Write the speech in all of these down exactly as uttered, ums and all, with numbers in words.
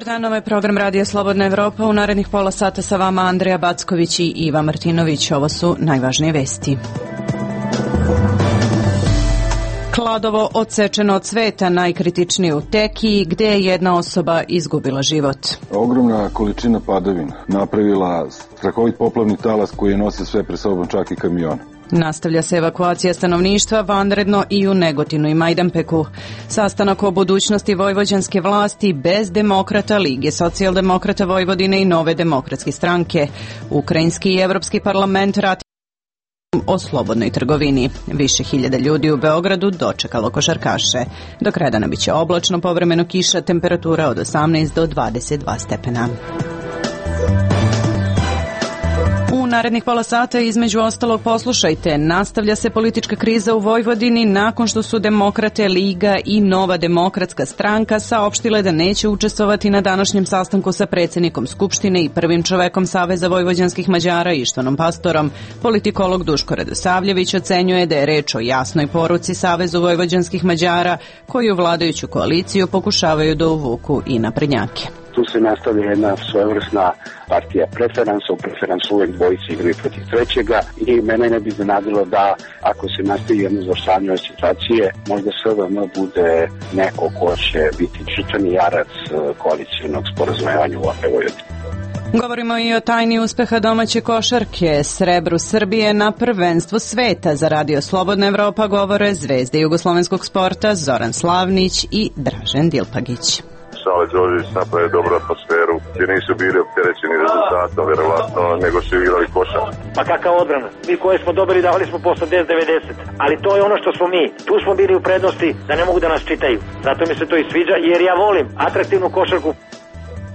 dan, ovo je program Radija Slobodna Evropa. U narednih pola sata sa vama Andreja Backović i Iva Martinović. Ovo su najvažnije vesti. Kladovo odsečeno od sveta, najkritičnije u Tekiji, gde je jedna osoba izgubila život. Ogromna količina padavina napravila strahovit poplavni talas koji je nosio sve pre sobom, čak i kamion. Nastavlja se evakuacija stanovništva vanredno i u Negotinu i Majdanpeku. Sastanak o budućnosti vojvođanske vlasti bez demokrata, Lige socijaldemokrata Vojvodine i Nove demokratske stranke. Ukrajinski i Evropski parlament ratifikuje o slobodnoj trgovini. Više hiljada ljudi u Beogradu dočekalo košarkaše. Do kraja dana biće oblačno, povremeno kiša, temperatura od osamnaest do dvadeset dva stepena. U narednih pola sata između ostalog poslušajte, nastavlja se politička kriza u Vojvodini nakon što su Demokrate, Liga i Nova demokratska stranka saopštile da neće učestvovati na današnjem sastanku sa predsjednikom Skupštine i prvim čovekom Saveza vojvođanskih Mađara Ištvanom Pastorom. Politikolog Duško Radosavljević ocenjuje da je reč o jasnoj poruci Savezu vojvođanskih Mađara koji u vladajuću koaliciju pokušavaju da uvuku i naprednjake. Tu se nastavlja jedna svojevrsna partija preferansa, u preferansu uvek dvojici igraju protiv trećega i mene ne bi iznenadilo da ako se nastavi jedno završavanje ove situacije, možda S V M bude neko ko će biti žrtveni jarac koalicijonog sporazumevanja u Vojvodini. Govorimo i o tajni uspeha domaće košarke, srebru Srbije na prvenstvu sveta. Za Radio Slobodna Evropa govore zvezde jugoslovenskog sporta Zoran Slavnić i Dražen Dilpagić. Sale Đorđević napravi dobru atmosferu, jer nisu bili opterećeni rezultatom, verovatno, nego su igrali košar. Pa kakav odbrana? Mi koje smo dobili davali smo po osamdeset devedeset, ali to je ono što smo mi. Tu smo bili u prednosti da ne mogu da nas čitaju. Zato mi se to i sviđa, jer ja volim atraktivnu košarku.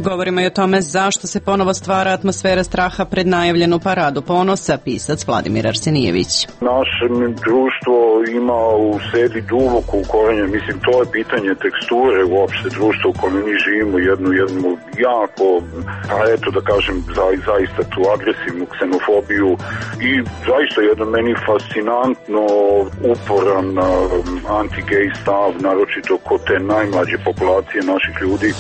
Govorimo i o tome zašto se ponovo stvara atmosfera straha pred najavljenu paradu ponosa, pisac Vladimir Arsenijević. Naše društvo ima u sebi duboku korenje, mislim to je pitanje teksture uopšte društva u kojem mi živimo, jednu, jednu jako, a eto da kažem za, zaista tu agresivnu ksenofobiju i zaista jedno meni fascinantno uporan anti-gay stav, naročito kod te najmlađe populacije naših ljudi.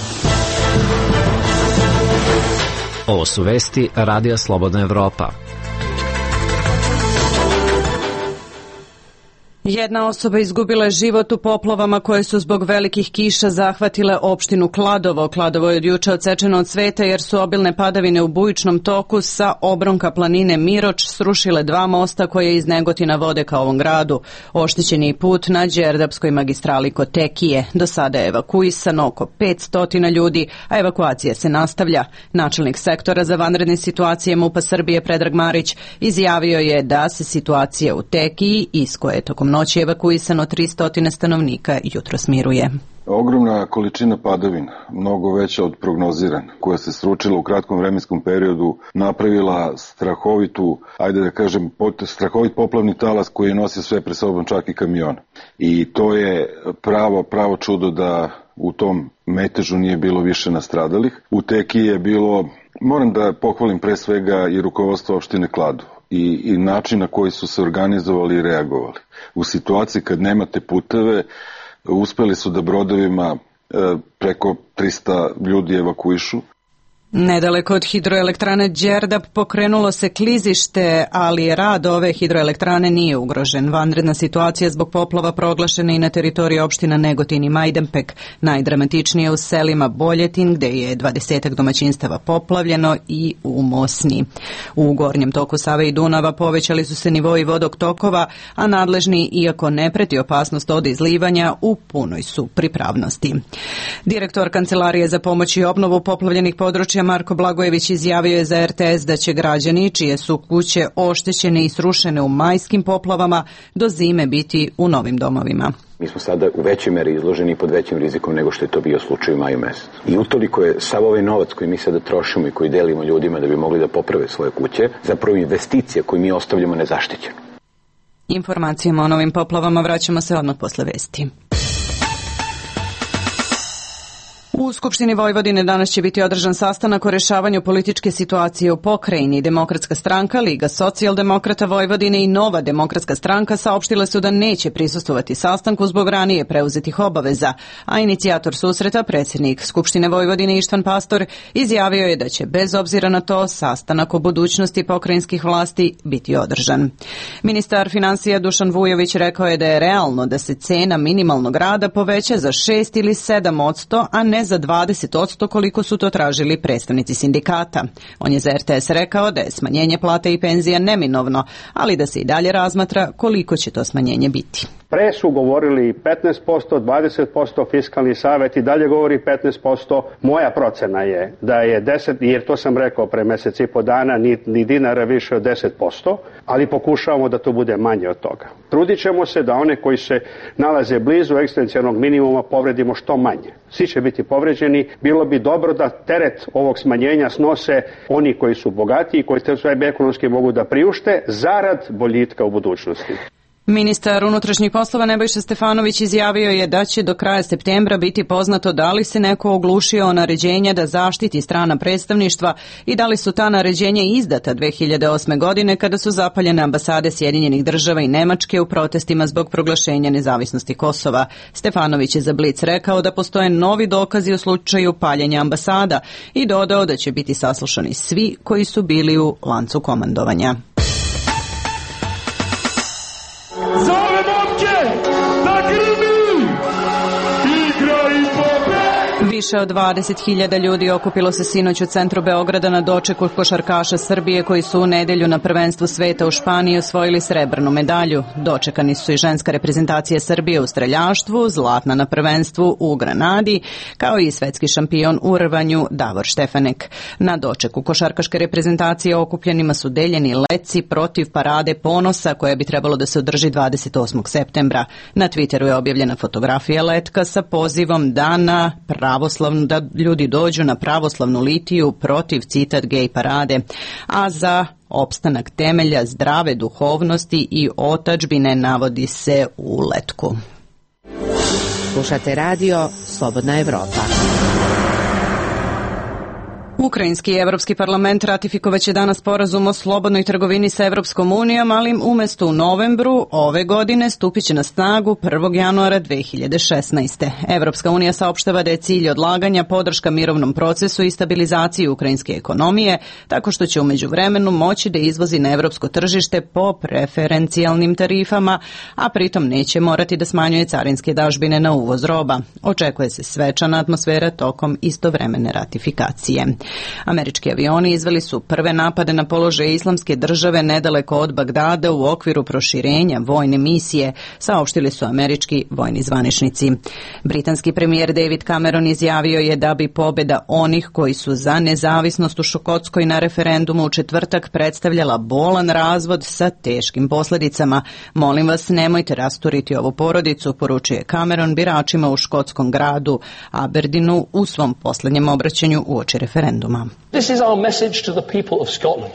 Ovo su vesti Radija Slobodna Evropa. Jedna osoba izgubila je život u poplavama koje su zbog velikih kiša zahvatile opštinu Kladovo. Kladovo je od juče odsečeno od sveta jer su obilne padavine u bujičnom toku sa obronka planine Miroč srušile dva mosta koje iz Negotina vode ka ovom gradu. Oštećen je put na Đerdapskoj magistrali kod Tekije. Do sada je evakuisano oko petsto ljudi, a evakuacija se nastavlja. Načelnik sektora za vanredne situacije MUP-a Srbije Predrag Marić izjavio je da se situacija u Tekiji, iz koje je tokom noći evakuisano tristo stanovnika, jutro smiruje. Ogromna količina padavina, mnogo veća od prognozirane, koja se sručila u kratkom vremenskom periodu, napravila strahovitu, ajde da kažem, strahovit poplavni talas koji je nosio sve pre sobom, čak i kamion. I to je pravo, pravo čudo da u tom metežu nije bilo više nastradalih. U Tekiji je bilo, moram da pohvalim pre svega i rukovodstvo opštine Kladovo i, i način na koji su se organizovali i reagovali. U situaciji kad nemate puteve, uspeli su da brodovima e, preko tristo ljudi evakuišu. Nedaleko od hidroelektrane Đerdap pokrenulo se klizište, ali rad ove hidroelektrane nije ugrožen. Vanredna situacija zbog poplava proglašena i na teritoriji opština Negotin i Majdanpek. Najdramatičnije u selima Boljetin, gde je dvadesetak domaćinstava poplavljeno, i u Mosni. U gornjem toku Save i Dunava povećali su se nivoji vodog tokova, a nadležni, iako ne preti opasnost od izlivanja, u punoj su pripravnosti. Direktor Kancelarije za pomoć i obnovu poplavljenih područja Marko Blagojević izjavio je za R T S da će građani čije su kuće oštećene i srušene u majskim poplavama do zime biti u novim domovima. Mi smo sada u većoj meri izloženi pod većim rizikom nego što je to bio slučaj u maju mesecu. I utoliko je sav ovaj novac koji mi sada trošimo i koji delimo ljudima da bi mogli da poprave svoje kuće, zapravo investicija koju mi ostavljamo nezaštićenu. Informacijama o novim poplavama vraćamo se odmah posle vesti. U Skupštini Vojvodine danas će biti održan sastanak o rešavanju političke situacije u pokrajini. Demokratska stranka, Liga socijaldemokrata Vojvodine i Nova demokratska stranka saopštile su da neće prisustvovati sastanku zbog ranije preuzetih obaveza, a inicijator susreta, predsjednik Skupštine Vojvodine Ištvan Pastor, izjavio je da će bez obzira na to sastanak o budućnosti pokrajinskih vlasti biti održan. Ministar finansija Dušan Vujović rekao je da je realno da se cena minimalnog rada poveća za šest ili sedam odsto, a ne za dvadeset odsto koliko su to tražili predstavnici sindikata. On je za R T S rekao da je smanjenje plate i penzija neminovno, ali da se i dalje razmatra koliko će to smanjenje biti. Pre su govorili petnaest posto, dvadeset posto, fiskalni savet i dalje govori petnaest posto. Moja procena je da je deset, jer to sam rekao pre mesec i po dana, ni, ni dinara više od deset posto, ali pokušavamo da to bude manje od toga. Trudit ćemo se da one koji se nalaze blizu egzistencijalnog minimuma povredimo što manje. Svi će biti povređeni. Bilo bi dobro da teret ovog smanjenja snose oni koji su bogatiji i koji sve ekonomski mogu da priušte zarad boljitka u budućnosti. Ministar unutrašnjih poslova Nebojša Stefanović izjavio je da će do kraja septembra biti poznato da li se neko oglušio o naređenja da zaštiti strana predstavništva i da li su ta naređenja izdata dve hiljade osme. godine kada su zapaljene ambasade Sjedinjenih država i Nemačke u protestima zbog proglašenja nezavisnosti Kosova. Stefanović je za Blic rekao da postoje novi dokazi u slučaju paljenja ambasada i dodao da će biti saslušani svi koji su bili u lancu komandovanja. Više od dvadeset hiljada ljudi okupilo se sinoć u centru Beograda na dočeku košarkaša Srbije koji su u nedelju na prvenstvu sveta u Španiji osvojili srebrnu medalju. Dočekani su i ženska reprezentacija Srbije u streljaštvu, zlatna na prvenstvu u Granadi, kao i svetski šampion u rvanju Davor Štefanek. Na dočeku košarkaške reprezentacije okupljenima su deljeni leci protiv parade ponosa koja bi trebalo da se održi dvadeset osmog septembra. Na Twitteru je objavljena fotografija letka sa pozivom da na pravoslavnu, da ljudi dođu na pravoslavnu litiju protiv, citat, gej parade, a za opstanak temelja zdrave duhovnosti i otadžbine navodi se u letku. Slušate radio Slobodna Evropa. Ukrajinski i Evropski parlament ratifikovaće danas sporazum o slobodnoj trgovini sa Evropskom unijom, ali umesto u novembru ove godine stupit će na snagu prvog januara dve hiljade šesnaeste. Evropska unija saopštava da je cilj odlaganja podrška mirovnom procesu i stabilizaciji ukrajinske ekonomije, tako što će u međuvremenu moći da izvozi na evropsko tržište po preferencijalnim tarifama, a pritom neće morati da smanjuje carinske dažbine na uvoz roba. Očekuje se svečana atmosfera tokom istovremene ratifikacije. Američki avioni izveli su prve napade na položaje Islamske države nedaleko od Bagdada u okviru proširenja vojne misije, saopštili su američki vojni zvaničnici. Britanski premijer David Cameron izjavio je da bi pobjeda onih koji su za nezavisnost u Škotskoj na referendumu u četvrtak predstavljala bolan razvod sa teškim posljedicama. Molim vas, nemojte rasturiti ovu porodicu, poručuje Cameron biračima u škotskom gradu Aberdeenu u svom posljednjem obraćanju uoči referenduma. This is our message to the people of Scotland.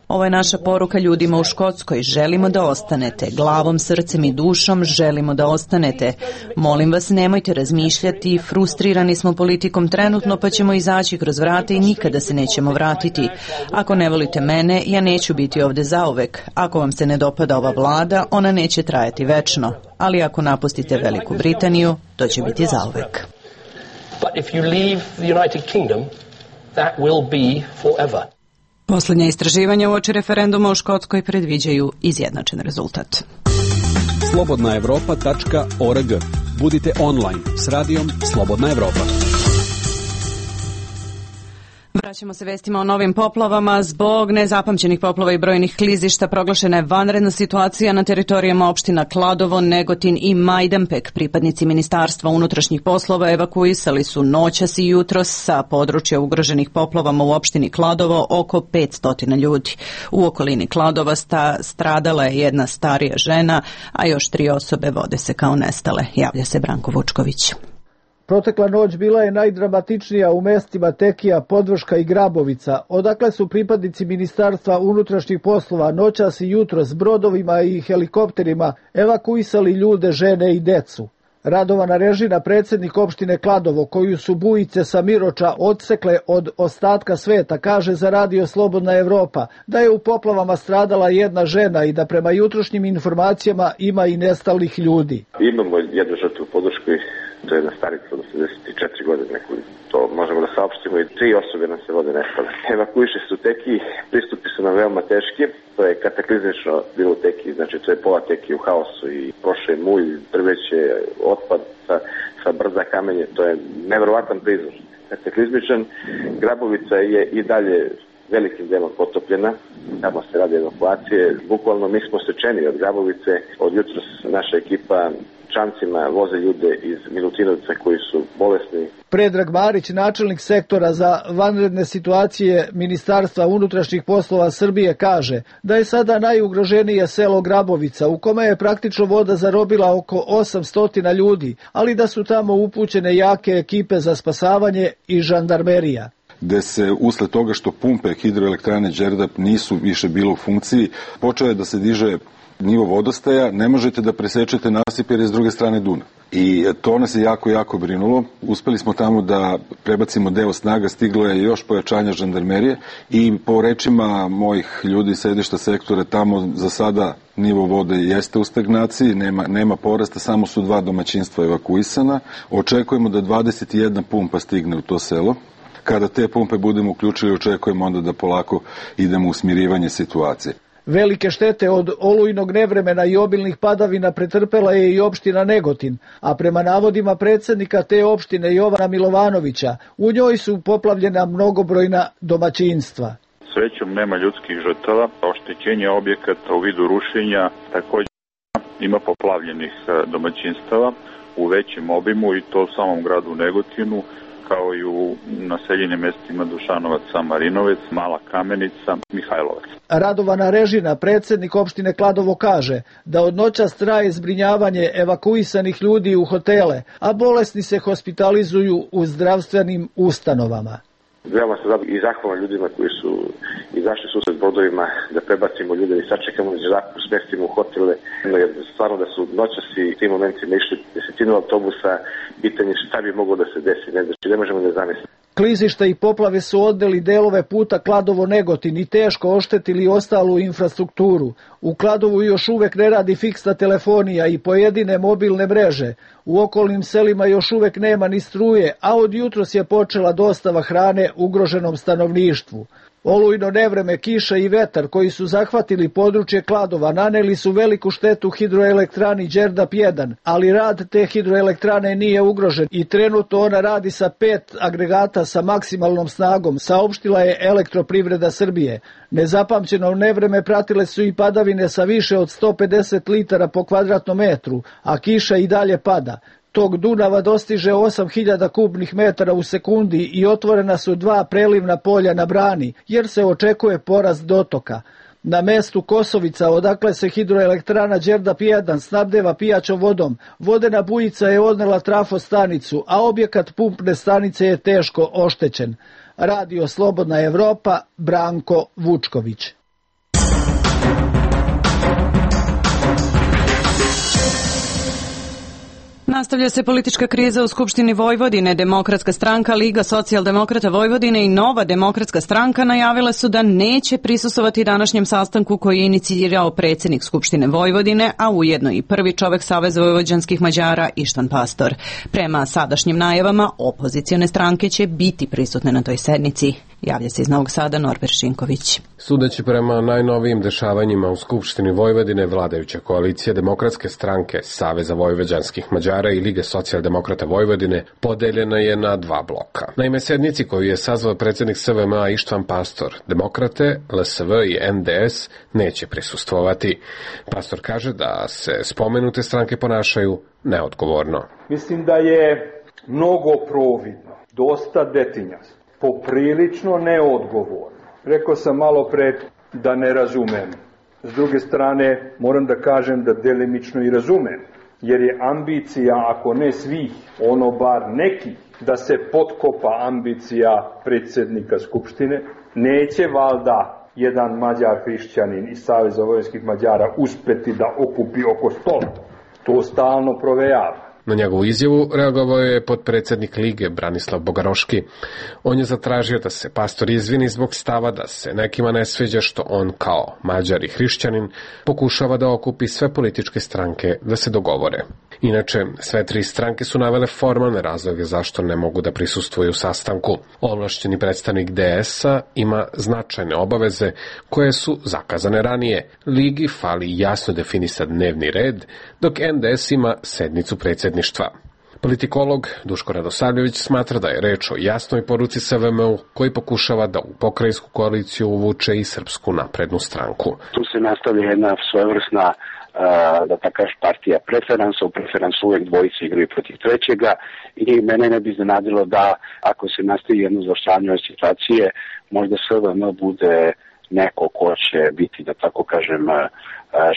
Ovo je naša poruka ljudima u Škotskoj. Želimo da ostanete. Glavom, srcem i dušom želimo da ostanete. Molim vas, nemojte razmišljati. Frustrirani smo politikom trenutno, pa ćemo izaći kroz vrata i nikada se nećemo vratiti. Ako ne volite mene, ja neću biti ovde zauvek. Ako vam se ne dopada ova vlada, ona neće trajati večno. Ali ako napustite Veliku Britaniju, to će biti zauvek. But if you leave the United Kingdom, that will be forever. Poslednje istraživanja uoči referenduma u Škotskoj predviđaju izjednačen rezultat. slobodna evropa tačka org. Budite online s radijom Slobodna Evropa. Vraćamo se vestima o novim poplavama. Zbog nezapamćenih poplava i brojnih klizišta proglašena je vanredna situacija na teritorijama opština Kladovo, Negotin i Majdanpek. Pripadnici Ministarstva unutrašnjih poslova evakuisali su noćas i jutros sa područja ugroženih poplavama u opštini Kladovo oko petsto ljudi. U okolini Kladova sta, stradala je jedna starija žena, a još tri osobe vode se kao nestale. Javlja se Branko Vučković. Protekla noć bila je najdramatičnija u mestima Tekija, Podvrška i Grabovica, odakle su pripadnici Ministarstva unutrašnjih poslova noćas i jutros s brodovima i helikopterima evakuisali ljude, žene i decu. Radovana Režina, predsjednik opštine Kladovo, koju su bujice sa Miroča odsekle od ostatka sveta, kaže za Radio Slobodna Evropa da je u poplavama stradala jedna žena i da prema jutrošnjim informacijama ima i nestalih ljudi. Imamo jednu žrtvu u Podruškoj, to je jedna starica od osamdeset četiri godine, neku, to možemo da saopštimo, i tri osobe nam se vode nestale. Evakuiše se u Teki, pristupi su nam veoma teški, to je kataklizmično bilo u Teki, znači to je pola Teki u haosu i prošle mulj, drveće, otpad sa, sa brda, kamenje, to je neverovatan prizor. Kataklizmičan, Grabovica je i dalje velikim delom potopljena, tamo se radi evakuacije, bukvalno mi smo sečeni od Grabovice, od jutros naša ekipa čamcima voze ljude iz Milutinovca koji su bolesni. Predrag Marić, načelnik sektora za vanredne situacije Ministarstva unutrašnjih poslova Srbije, kaže da je sada najugroženije selo Grabovica, u kome je praktično voda zarobila oko osamsto ljudi, ali da su tamo upućene jake ekipe za spasavanje i žandarmerija. Gde se usled toga što pumpe hidroelektrane Đerdap nisu više bilo u funkciji, počeo je da se diže nivo vodostaja, ne možete da presečete nasip jer je s druge strane Dunav. I to nas je jako, jako brinulo. Uspeli smo tamo da prebacimo deo snaga, stiglo je još pojačanja žandarmerije i po rečima mojih ljudi iz sedišta sektora, tamo za sada nivo vode jeste u stagnaciji, nema, nema porasta, samo su dva domaćinstva evakuisana. Očekujemo da dvadeset jedna pumpa stigne u to selo. Kada te pumpe budemo uključili, očekujemo onda da polako idemo u smirivanje situacije. Velike štete od olujnog nevremena i obilnih padavina pretrpela je i opština Negotin, a prema navodima predsjednika te opštine Jovana Milovanovića, u njoj su poplavljena mnogobrojna domaćinstva. Srećom nema ljudskih žrtava, oštećenje objekata u vidu rušenja, također ima poplavljenih domaćinstava u većem obimu i to u samom gradu Negotinu, kao i u naseljenim mestima Dušanovac, Marinovec, Mala Kamenica, Mihajlovac. Radovana Režina, predsjednik opštine Kladovo, kaže da od noćas traje zbrinjavanje evakuisanih ljudi u hotele, a bolesni se hospitalizuju u zdravstvenim ustanovama. Veoma se i zahvalan ljudima koji su izašli susret brodovima da prebacimo ljude i sačekamo da smestimo u hotele, jer stvarno da su noćas i tim momentima išli desetinu autobusa, pitanje šta bi moglo da se desi, ne, znači ne možemo da zamisliti. Klizišta i poplave su odneli delove puta Kladovo-Negotin i teško oštetili ostalu infrastrukturu. U Kladovu još uvek ne radi fiksna telefonija i pojedine mobilne mreže. U okolnim selima još uvek nema ni struje, a od jutros je počela dostava hrane ugroženom stanovništvu. Olujno nevreme, kiša i vetar koji su zahvatili područje Kladova naneli su veliku štetu hidroelektrani Đerdap jedan, ali rad te hidroelektrane nije ugrožen i trenutno ona radi sa pet agregata sa maksimalnom snagom, saopštila je Elektroprivreda Srbije. Nezapamćeno nevreme pratile su i padavine sa više od sto pedeset litara po kvadratnom metru, a kiša i dalje pada. Tok Dunava dostiže osam hiljada kubnih metara u sekundi i otvorena su dva prelivna polja na brani, jer se očekuje porast dotoka. Na mestu Kosovica, odakle se hidroelektrana Đerdap jedan snabdeva pijaćom vodom, vodena bujica je odnela trafostanicu, a objekat pumpne stanice je teško oštećen. Radio Slobodna Evropa, Branko Vučković. Nastavlja se politička kriza u Skupštini Vojvodine. Demokratska stranka, Liga socijaldemokrata Vojvodine i Nova demokratska stranka najavile su da neće prisustvovati današnjem sastanku koji je inicirao predsjednik Skupštine Vojvodine, a ujedno i prvi čovek Saveza vojvođanskih Mađara Ištvan Pastor. Prema sadašnjim najavama, opozicione stranke će biti prisutne na toj sednici. Javlja se iz Novog Sada Norbert Šinković. Sudeći prema najnovijim dešavanjima u Skupštini Vojvodine, vladajuća koalicija Demokratske stranke, Saveza vojvođanskih Mađara i Lige socijaldemokrata Vojvodine podeljena je na dva bloka. Naime, sednici koju je sazvao predsjednik S V M A Ištvan Pastor, Demokrate, L S V i N D S neće prisustvovati. Pastor kaže da se spomenute stranke ponašaju neodgovorno. Mislim da je mnogo providno, dosta detinjasto, poprilično neodgovorno. Rekao sam malo pre da ne razumem. S druge strane, moram da kažem da delimično i razumem, jer je ambicija, ako ne svih, ono bar nekih, da se potkopa ambicija predsjednika Skupštine. Neće valjda jedan Mađar hrišćanin iz Saveza vojvođanskih Mađara uspeti da okupi oko stola. To stalno provejava. Na njegovu izjavu reagovao je potpredsednik Lige Branislav Bogaroški. On je zatražio da se pastor izvini zbog stava da se nekima ne sviđa što on kao Mađar i hrišćanin pokušava da okupi sve političke stranke da se dogovore. Inače, sve tri stranke su navele formalne razloge zašto ne mogu da prisustvuju sastanku. Ovlašćeni predstavnik D S-a ima značajne obaveze koje su zakazane ranije. Ligi fali jasno definisan dnevni red, dok N D S ima sednicu predsjedništva. Politikolog Duško Radosavljević smatra da je reč o jasnoj poruci S V M U koji pokušava da u pokrajinsku koaliciju uvuče i Srpsku naprednu stranku. Tu se nastavlja jedna svojevrsna da tako kažeš partija preferansa, u preferansu uvek dvojice igraju protiv trećega i mene ne bi iznenadilo da ako se nastavi jedno zaoštravanje ove situacije, možda S V M bude neko ko će biti, da tako kažem,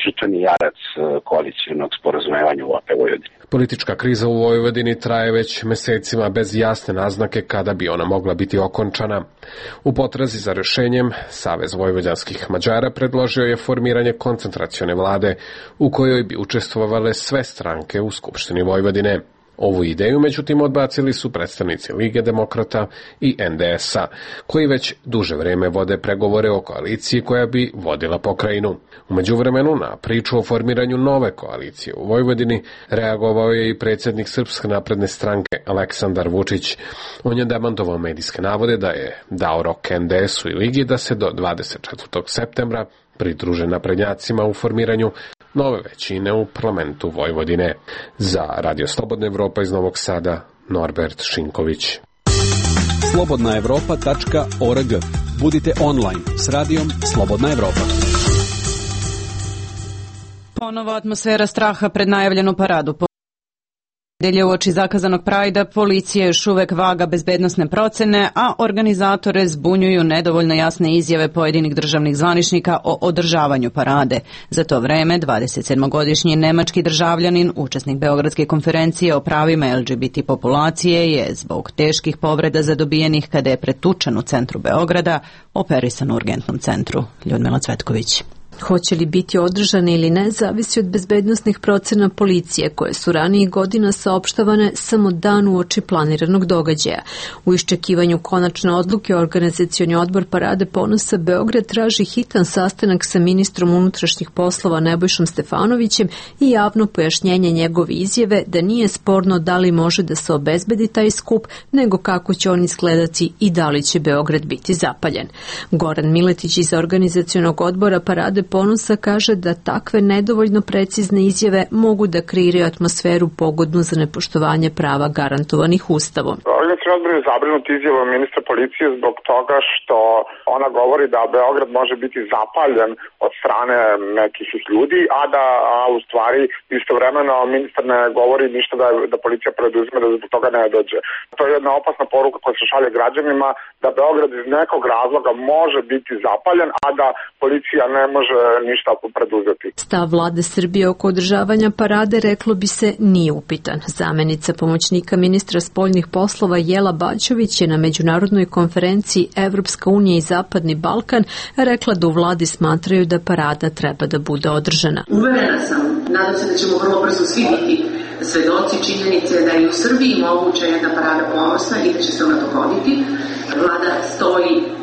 žrtveni jarac koalicijnog sporazumevanja u A P Vojvodini. Politička kriza u Vojvodini traje već mesecima bez jasne naznake kada bi ona mogla biti okončana. U potrazi za rešenjem, Savez vojvođanskih Mađara predložio je formiranje koncentracione vlade u kojoj bi učestvovale sve stranke u Skupštini Vojvodine. Ovu ideju, međutim, odbacili su predstavnici Lige demokrata i N D S-a, koji već duže vreme vode pregovore o koaliciji koja bi vodila pokrajinu. U međuvremenu, na priču o formiranju nove koalicije u Vojvodini reagovao je i predsjednik Srpske napredne stranke Aleksandar Vučić. On je demantovao medijske navode da je dao rok N D S-u i Ligi da se do dvadeset četvrtog septembra pridruže naprednjacima u formiranju nove većine u parlamentu Vojvodine. Za Radio Slobodna Evropa iz Novog Sada, Norbert Šinković. slobodna evropa tačka org. Budite online s radijom Slobodna Evropa. Ponovo atmosfera straha pred najavljenu paradu. Nedelje uoči zakazanog Prajda policija još uvek vaga bezbednosne procene, a organizatore zbunjuju nedovoljno jasne izjave pojedinih državnih zvaničnika o održavanju parade. Za to vreme, dvadesetsedmogodišnji nemački državljanin, učesnik Beogradske konferencije o pravima L G B T populacije, je zbog teških povreda zadobijenih kada je pretučen u centru Beograda operisan u urgentnom centru. Ljudmila Cvetković. Hoće li biti održane ili ne, zavisi od bezbednosnih procena policije, koje su ranijih godina saopštavane samo dan uoči planiranog događaja. U iščekivanju konačne odluke, organizacioni odbor Parade ponosa Beograd traži hitan sastanak sa ministrom unutrašnjih poslova Nebojšom Stefanovićem i javno pojašnjenje njegove izjave da nije sporno da li može da se obezbedi taj skup, nego kako će on izgledati i da li će Beograd biti zapaljen. Goran Miletić iz organizacionog odbora Parade ponosa kaže da takve nedovoljno precizne izjave mogu da kreiraju atmosferu pogodnu za nepoštovanje prava garantovanih Ustavom. Organizacioni odbor je zabrinut izjavom ministra policije zbog toga što ona govori da Beograd može biti zapaljen od strane nekih ljudi, a da a u stvari istovremeno ministar ne govori ništa da, da policija preduzme da zbog toga ne dođe. To je jedna opasna poruka koja se šalje građanima da Beograd iz nekog razloga može biti zapaljen, a da policija ne može ništa preduzeti. Stav vlade Srbije oko održavanja parade, reklo bi se, nije upitan. Zamenica pomoćnika ministra spoljnih poslova Jela Baćović je na međunarodnoj konferenciji Evropska unija i Zapadni Balkan rekla da u vladi smatraju da parada treba da bude održana. Uverena sam, nadam se da ćemo vrlo brzo svi biti svedoci činjenice da je u Srbiji moguća jedna parada ponosa i da će se ona dogoditi. Vlada stoji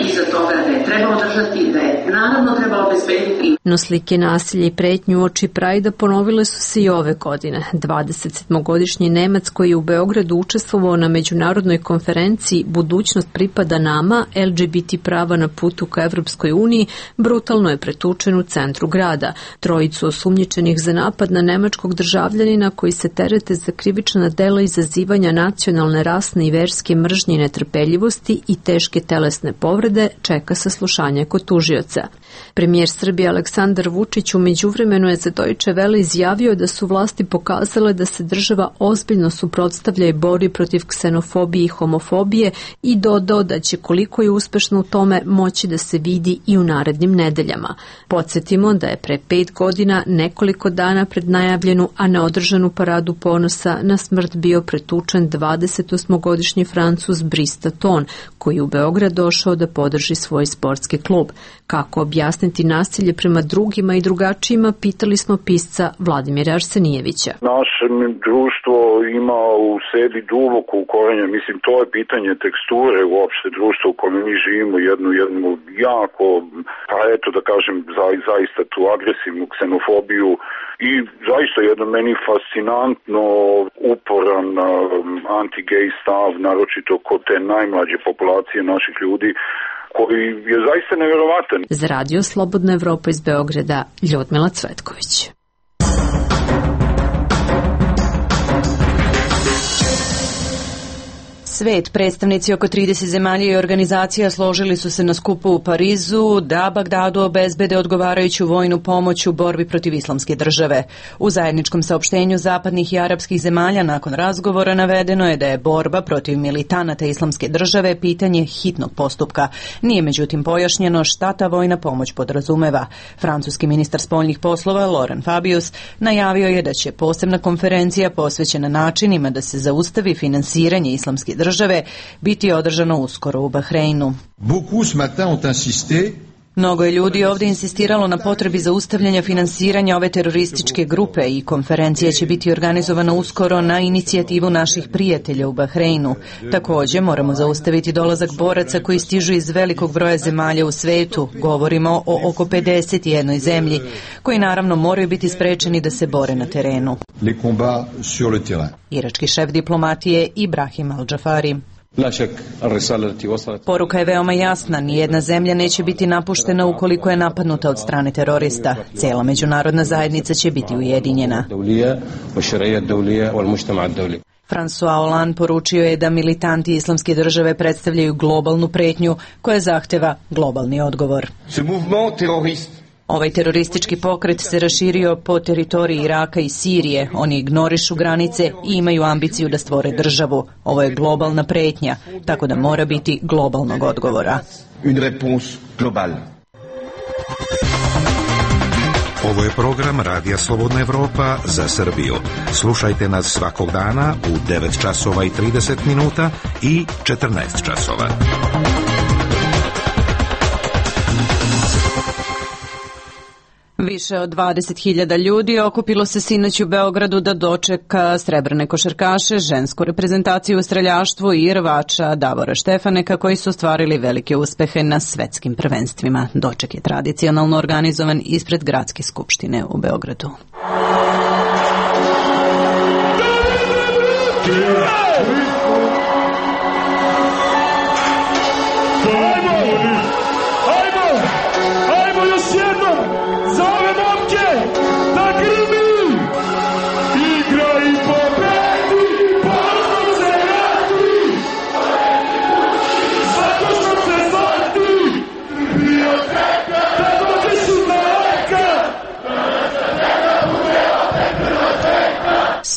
iza toga da je treba održati, da je naravno treba obezbediti. No slike nasilja i pretnju uoči Prajda ponovile su se i ove godine. dvadesetsedmogodišnji Nemac koji je u Beogradu učestvovao na međunarodnoj konferenciji Budućnost pripada nama, L G B T prava na putu ka Evropskoj uniji, brutalno je pretučen u centru grada. Trojicu osumnjičenih za napad na nemačkog državljanina koji se terete za krivična dela izazivanja nacionalne, rasne i verske mržnje i netrpeljivosti i teške telesne povrede čeka saslušanje kod tužioca. Premijer Srbije Aleksandar Vučić u međuvremenu je za Deutsche Welle izjavio da su vlasti pokazale da se država ozbiljno suprotstavlja i bori protiv ksenofobije i homofobije i dodao da će koliko je uspešno u tome moći da se vidi i u narednim nedeljama. Podsjetimo da je pre pet godina, nekoliko dana pred najavljenu, a neodržanu paradu ponosa, na smrt bio pretučen dvadesetosmogodišnji Francuz Brice Ton, koji u Beograd došao da podrži svoj sportski klub. Kako objavljeno objasniti nasilje prema drugima i drugačijima, pitali smo pisca Vladimira Arsenijevića. Naše društvo ima u sebi duboko ukorenje, mislim to je pitanje teksture uopšte društva u kojem mi živimo, jednu, jednu jako, pa eto da kažem za, zaista tu agresivnu ksenofobiju i zaista jedno meni fascinantno uporan um, anti-gay stav, naročito kod te najmlađe populacije naših ljudi, koji je zaista nevjerovatan. Za radio Slobodna Evropa iz Beograda, Ljudmila Cvetković. Svet, predstavnici oko trideset zemalja i organizacija složili su se na skupu u Parizu da Bagdadu obezbede odgovarajuću vojnu pomoć u borbi protiv islamske države. U zajedničkom saopštenju zapadnih i arapskih zemalja nakon razgovora navedeno je da je borba protiv militanata islamske države pitanje hitnog postupka. Nije međutim pojašnjeno šta ta vojna pomoć podrazumeva. Francuski ministar spoljnih poslova Laurent Fabius najavio je da će posebna konferencija posvećena načinima da se zaustavi finansiranje islamske države države biti održano uskoro u Bahreinu. Mnogo je ljudi ovdje insistiralo na potrebi zaustavljanja finansiranja ove terorističke grupe i konferencija će biti organizovana uskoro na inicijativu naših prijatelja u Bahreinu. Također moramo zaustaviti dolazak boraca koji stižu iz velikog broja zemalja u svetu. Govorimo o oko pedeset jednoj zemlji, koji naravno moraju biti sprečeni da se bore na terenu. Irački šef diplomatije Ibrahim Al-Džafari. Poruka je veoma jasna, nijedna zemlja neće biti napuštena ukoliko je napadnuta od strane terorista. Cela međunarodna zajednica će biti ujedinjena. François Hollande poručio je da militanti islamske države predstavljaju globalnu pretnju koja zahteva globalni odgovor. Ovaj teroristički pokret se raširio po teritoriji Iraka i Sirije. Oni ignorišu granice i imaju ambiciju da stvore državu. Ovo je globalna pretnja, tako da mora biti globalnog odgovora. Ovo je program Radija Slobodna Evropa za Srbiju. Slušajte nas svakog dana u devet časova i trideset minuta i četrnaest časova. Više od dvadeset hiljada ljudi okupilo se sinoć u Beogradu da dočeka srebrne košarkaše, žensku reprezentaciju u streljaštvu i rvača Davora Štefaneka koji su ostvarili velike uspehe na svetskim prvenstvima. Doček je tradicionalno organizovan ispred Gradske skupštine u Beogradu.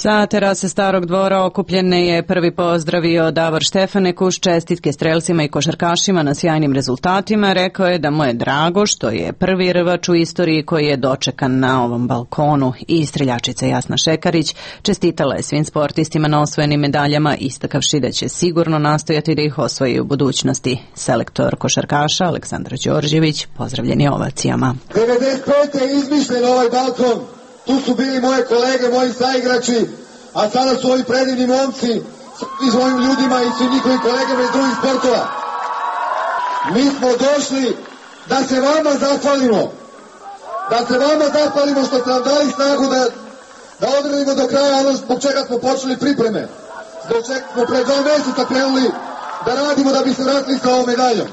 Sa terase Starog dvora okupljene je prvi pozdravio Davor Štefanek uz čestitke strelcima i košarkašima na sjajnim rezultatima. Rekao je da mu je drago što je prvi rvač u istoriji koji je dočekan na ovom balkonu. I streljačica Jasna Šekarić čestitala je svim sportistima na osvojenim medaljama, istakavši da će sigurno nastojati da ih osvoji u budućnosti. Selektor košarkaša Aleksandar Đorđević pozdravljen je ovacijama. devedeset pete je izmišljen ovaj balkon. Tu su bili moje kolege, moji saigrači, a sada su ovi predivni momci i svojim ljudima i svim njihovim kolegama iz drugih sportova. Mi smo došli da se vama zahvalimo, da se vama zahvalimo što ste nam dali snagu da, da odradimo do kraja ono zbog čega smo počeli pripreme, zbog čega smo pred dva mjeseca krenuli da radimo da bi se vratili sa ovom medaljom.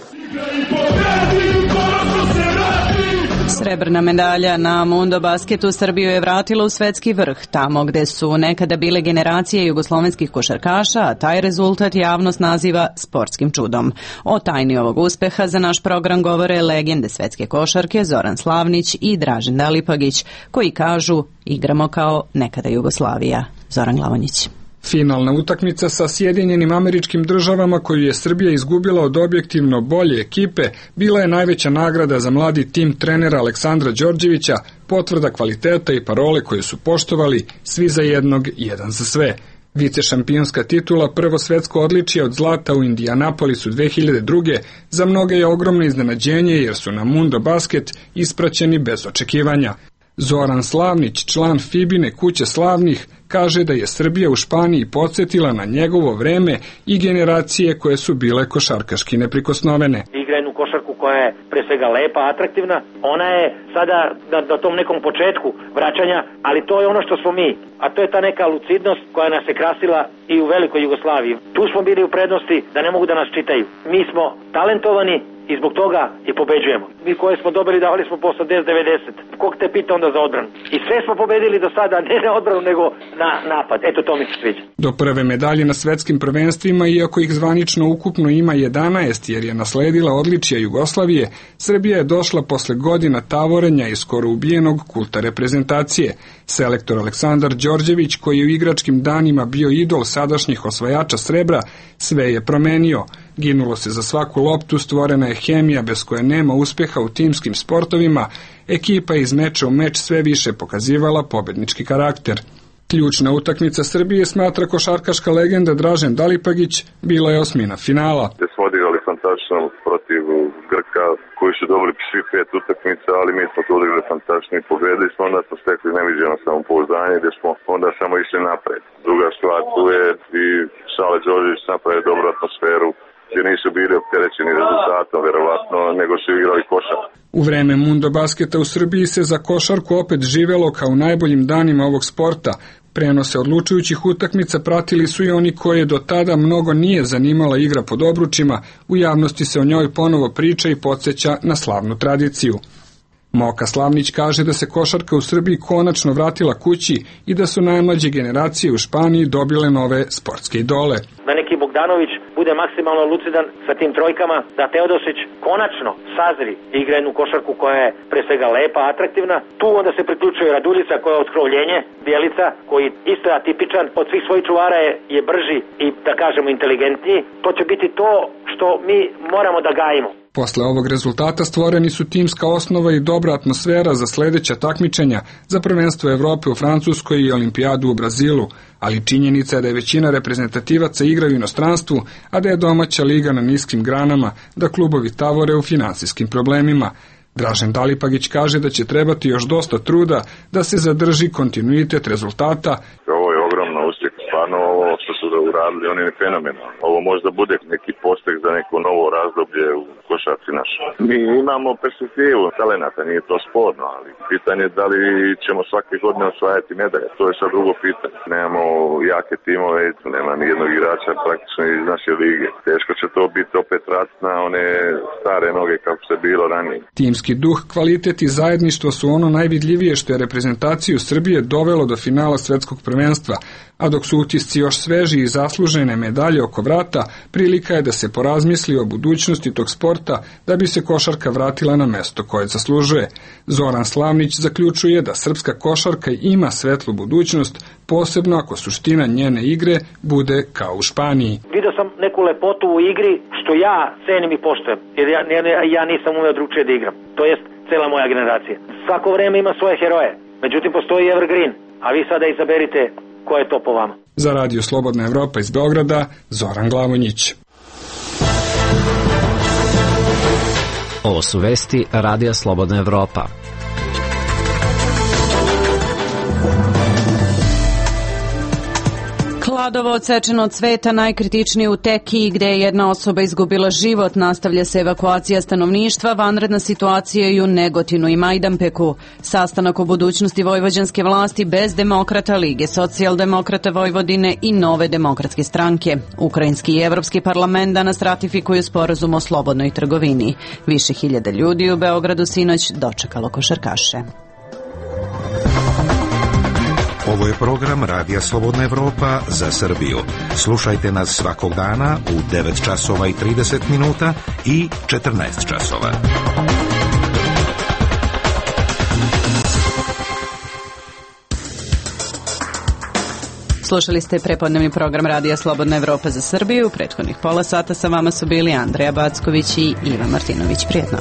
Srebrna medalja na Mundo basketu Srbiju je vratila u svetski vrh, tamo gde su nekada bile generacije jugoslovenskih košarkaša, a taj rezultat javnost naziva sportskim čudom. O tajni ovog uspeha za naš program govore legende svetske košarke Zoran Slavnić i Dražen Dalipagić, koji kažu igramo kao nekada Jugoslavija. Zoran Glavonjić. Finalna utakmica sa Sjedinjenim Američkim Državama koju je Srbija izgubila od objektivno bolje ekipe bila je najveća nagrada za mladi tim trenera Aleksandra Đorđevića, potvrda kvaliteta i parole koje su poštovali svi za jednog, jedan za sve. Vicešampionska titula, prvo svetsko odličje od zlata u Indianapolisu dve hiljade druge. za mnoge je ogromno iznenađenje jer su na Mundo Basket ispraćeni bez očekivanja. Zoran Slavnić, član Fibine kuće slavnih, kaže da je Srbija u Španiji podsjetila na njegovo vreme i generacije koje su bile košarkaški neprikosnovene. Igra jednu košarku koja je pre svega lepa, atraktivna. Ona je sada na, na tom nekom početku vraćanja, ali to je ono što smo mi. A to je ta neka lucidnost koja nas je krasila i u velikoj Jugoslaviji. Tu smo bili u prednosti da ne mogu da nas čitaju. Mi smo talentovani i zbog toga i pobeđujemo. Mi koje smo dobili davali smo po osamdeset devedeset. Kog te pita onda za odbranu? I sve smo pobedili do sada, ne na odbranu nego na napad. Eto, to mi se sviđa. Do prve medalje na svetskim prvenstvima, iako ih zvanično ukupno ima jedanaest jer je nasledila odličja Jugoslavije, Srbija je došla posle godina tavorenja i skoro ubijenog kulta reprezentacije. Selektor Aleksandar Đorđević, koji je u igračkim danima bio idol sadašnjih osvajača srebra, sve je promenio. Ginulo se za svaku loptu, stvorena je hemija bez koje nema uspeha u timskim sportovima, ekipa je iz meča u meč sve više pokazivala pobednički karakter. Ključna utakmica Srbije, smatra košarkaška legenda Dražen Dalipagić, bila je osmina finala. Gde smo odigrali fantastično protiv Grka, koji su dobili svi pet utakmica, ali mi smo to odigrali fantastično i pobedili smo, onda smo stekli neviđeno samopouzdanje, gde smo onda samo išli napred. Druga stvar, tu je i Sale Đorđević napravio dobru atmosferu, gdje nisu bili opterećeni rezultatom, verovatno, nego su igrali košarku. U vreme Mundo Basketa u Srbiji se za košarku opet živelo kao u najboljim danima ovog sporta. Prenose odlučujućih utakmica pratili su i oni koje do tada mnogo nije zanimala igra pod obručima, u javnosti se o njoj ponovo priča i podsjeća na slavnu tradiciju. Moka Slavnić kaže da se košarka u Srbiji konačno vratila kući i da su najmlađe generacije u Španiji dobile nove sportske idole. Da neki Bogdanović bude maksimalno lucidan sa tim trojkama, da Teodosić konačno sazri i igra jednu košarku koja je pre svega lepa, atraktivna. Tu onda se priključuje Raduljica koja je otkrovljenje, Bjelica koji isto je atipičan, od svih svojih čuvara je, je brži i da kažemo inteligentniji. To će biti to što mi moramo da gajimo. Posle ovog rezultata stvoreni su timska osnova i dobra atmosfera za sledeća takmičenja za prvenstvo Evrope u Francuskoj i olimpijadu u Brazilu, ali činjenica je da je većina reprezentativaca igra u inostranstvu, a da je domaća liga na niskim granama, da klubovi tavore u finansijskim problemima. Dražen Dalipagić kaže da će trebati još dosta truda da se zadrži kontinuitet rezultata. Ovo je ogromno uspjeh, stvarno ovo što su da uradili, oni je fenomenalno. Ovo možda bude neki pospeh za neko novo razdoblje u košarci našoj. Mi imamo perspektivu talenata, nije to sporno, ali pitanje je da li ćemo svake godine osvajati medalje, to je sad drugo pitanje. Nemamo jake timove, nema ni jednog igrača praktično iz naše lige. Teško će to biti opet rat na one stare noge kako se bilo ranije. Timski duh, kvalitet i zajedništvo su ono najvidljivije što je reprezentaciju Srbije dovelo do finala svetskog prvenstva, a dok su utisci još sveži i zaslužene medalje oko vrata, prilika je da se porazmisli o budućnosti tog sporta da bi se košarka vratila na mesto koje zaslužuje. Zoran Slavnić zaključuje da srpska košarka ima svetlu budućnost, posebno ako suština njene igre bude kao u Španiji. Vidio sam neku lepotu u igri što ja cenim i poštujem, jer ja, ja nisam umeo drugčije da igram. To jest cela moja generacija. Svako vreme ima svoje heroje, međutim postoji evergreen, a vi sada izaberite ko je to po vama. Za Radio Slobodna Evropa iz Beograda, Zoran Glavonjić. Ovo su vesti Radija Slobodna Evropa. Kladovo odsečeno od cveta najkritičnije u Tekiji, gde je jedna osoba izgubila život. Nastavlja se evakuacija stanovništva, vanredna situacija i u Negotinu i Majdanpeku. Sastanak o budućnosti vojvođanske vlasti bez demokrata, Lige socijaldemokrata Vojvodine i Nove demokratske stranke. Ukrajinski i Evropski parlament danas ratifikuju sporazum o slobodnoj trgovini. Više hiljada ljudi u Beogradu sinoć dočekalo košarkaše. Ovo je program Radija Slobodna Evropa za Srbiju. Slušajte nas svakog dana u devet časova i trideset minuta i četrnaest časova. Slušali ste prepodnevni program Radija Slobodna Evropa za Srbiju. U prethodnih pola sata sa vama su bili Andreja Backović i Iva Martinović. Prijetno.